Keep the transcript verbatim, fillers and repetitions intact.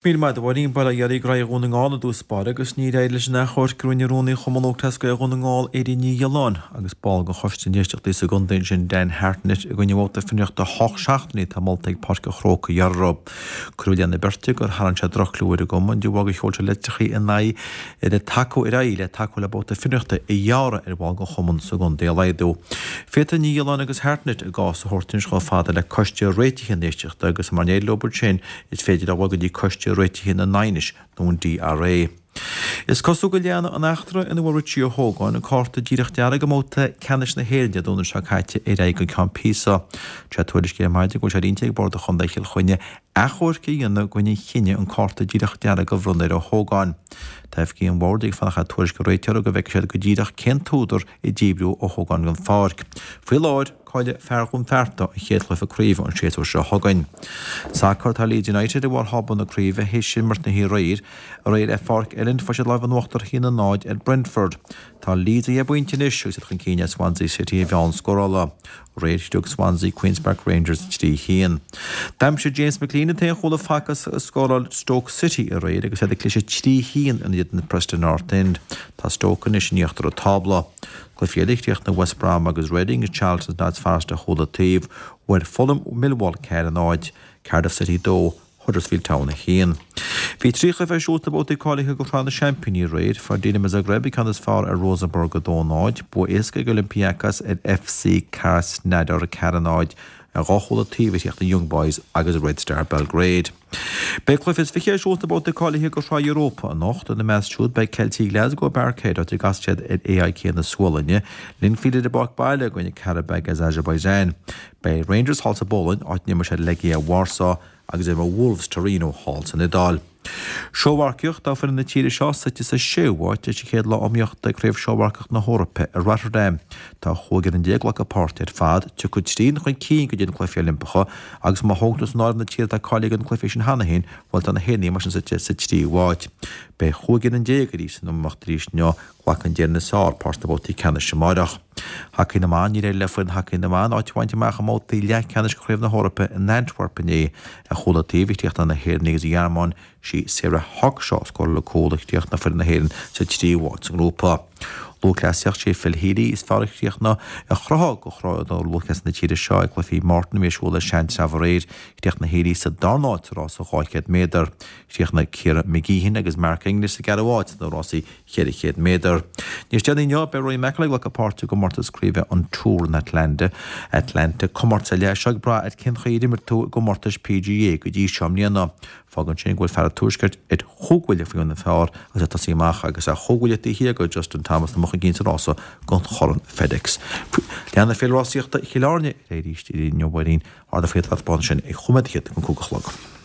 Míle maith agat a Mháirín. Bail ó Dhia oraibh. Graí Dhún na nGall i dtús báire agus níor éirigh leis an achomharc a rinne Rúnaí Chumann Lúthchleas Gael Dhún na nGall, Eddie Ní Ghiolláin, agus ball den Choiste Éisteachtaí sa gcontae ansin, Dan Hartnett, i gcoinne vóta fionraíochta ocht seachtainí atá molta ag Páirc an Chrócaigh a ghearradh. Cuireadh i leith na beirte gur tharraing sé droch-chlú ar an gcumann de bharr gur sheol siad litreacha in aghaidh le tacú ar aghaidh le tacú le babhta fionraíochta a ghearradh ar bhaill den chumann sa gcontae a laghdú. Féadfaidh Ní Ghiolláin agus Hartnett a gcás a thabhairt anois chomh fada le Coiste Réitithe na nÉisteachta agus mura n-éiríonn leo ansin is féidir leo a dhul go dtí Coiste Réitithe na nAighneas nó an DRA. Is cosúil go leanfaidh an eachtra ina bhfuair Richie Ó hÓgáin an cárta díreach dearg i mbabhta ceannais na hÉireann Dé Domhnaigh seo caite ar aghaidh go ceann píosa. Sé tuairisc ar maidin go bhfuil sé ar intinn ag Bord Chontae Chill Chainnigh achomharc a dhéanamh i gcoinne an chinnidh an cárta díreach dearg a bhronnadh ar Ó hÓgáin. Tá oifigigh an Bhoird ag fanacht le tuairisc an réiteora go bhfeicfidh siad go díreach cén t-údar a díbríodh Ó hÓgáin den pháirc. Faoi láthair, Caillfidh fear Dhún Fearta an chéad chluiche craoibhe an séasúr seo chugainn. Sacar, Tá Leeds United i bharr thábla na craoibhe théis imirt na haréir. Aréir ar Pháirc Elland fuair siad lámh in uachtar a haon a náid ar Brentford. Tá Leeds ar dheich bpointe anois agus iad chun cinn ar Swansea City ar mheán scórála. Aréir shlog Swansea Queens Park Rangers trí haon. D'aimsigh James McClean an t-aon chúl a facthas a scóráil Stoke City aréir agus iad ag cliseadh trí haon in éadan Preston North End. Tá Stoke anois in íochtar an tábla. Cluichí eile, Chríochnaigh West Brom agus Reading, Charlton Notts Forest ar chúl an taobh, bhuail Fulham Millwall ceathair a náid, Cardiff City dó, Huddersfield Town a haon. Bhí trí chluiche ar siúl sna babhtaí cáilithe do Shraith na Seaimpíní aréir. Fuair Dinamo Zagreb an ceann is fearr ar Rosenborg a dó náid, bua éasca ag Olympiacos ar FC Krasnodar ceathair a náid, Ar dhá chúl an taobh a chríochnaigh Young Boys agus Red Star Belgrade. Beidh cluiche is fiche ar siúl sna babhtaí cáilithe do Shraith Europa anocht. Ina measc siúd beidh Ceiltigh Glasgow i bParkhead, áit a gcasfaidh siad ar AIK na Sualainne, Linfield ar a bpáirc baile i gcoinne Qarabag as Azerbaijan. Beidh Rangers thall sa bPolainn, áit a n-imreoidh siad Legia Warsaw, agus imreoidh Wolves Torino thall san Iodáil. Seómharcaíocht, Tá foireann na tíre seo suite sa séú háit tar éis an chéad lá iomaíochta ag Craobh Seómharcaíocht na hEorpa i Rotterdam. Tá chúig fhoireann déag ag glacadh páirte ar fad. Tiocfaidh trian chun cinn go dtí na Cluichí Oilimpeacha agus má thógann tú san áireamh na tíortha atá cáilithe do na cluichí sin cheana féin, bhuel tá na hÉireannaigh mar sin suite sa tríú háit. Beidh chúig fhoireann déag arís san iomaíocht arís inniu. Glacann d'Éirinn is fearr páirt sna babhtaí ceannais amárach. Hacaí na mBan, Níor éirigh le foireann hacaí na mban áit a bhaint amach i mbabhtaí leathcheannais de Chraobh na hEorpa in Antwerp inné. Ar chúl an taobh a chríochnaigh na hÉireannaigh agus an Ghearmáin, sí Sarah Hawkshaw a scóráil an cúl a chríochnaigh foireann na hÉireann sa tríú háit sa ngrúpa. Lúthchleasaíocht, Sé Phil Healy is fearr a chríochnaigh a chruthú do chraobh lúthchleasaí na tíre seo ag Cluichí Morton a bhí ar siúl i Seantrabh aréir. Chríochnaigh Healy sa darna háit sa rása dhá chéad méadar. Chríochnaigh Ciara McGeehan agus Mark English sa gceathrú háit sna rásaí cheithre chéad méadar. Níos déanaí inniu, beidh Rory McIlroy ag glacadh páirte i gcomórtas craoibhe an Tour in Atlanta. Atlanta, comórtas ar leith é seo ag brath ar cén chaoi ar imir tú i gcomórtais PGA go dtí seo i mbliana. Fágann sin go bhfuil fear an Tuaiscirt ar chúig bhuille faoi bhun an phar agus é ag tosaí amach agus é chúig bhuille taobh thiar de Justin Thomas atá chun cinn sa rása don Chorn FedEx. Leanfaidh Féile Rásaíochta Chill Airne ar aghaidh arís inniu, a Mháirín, ardú faoi thaispeáint sin ag chúig nóiméad fichead don cúig a chlog.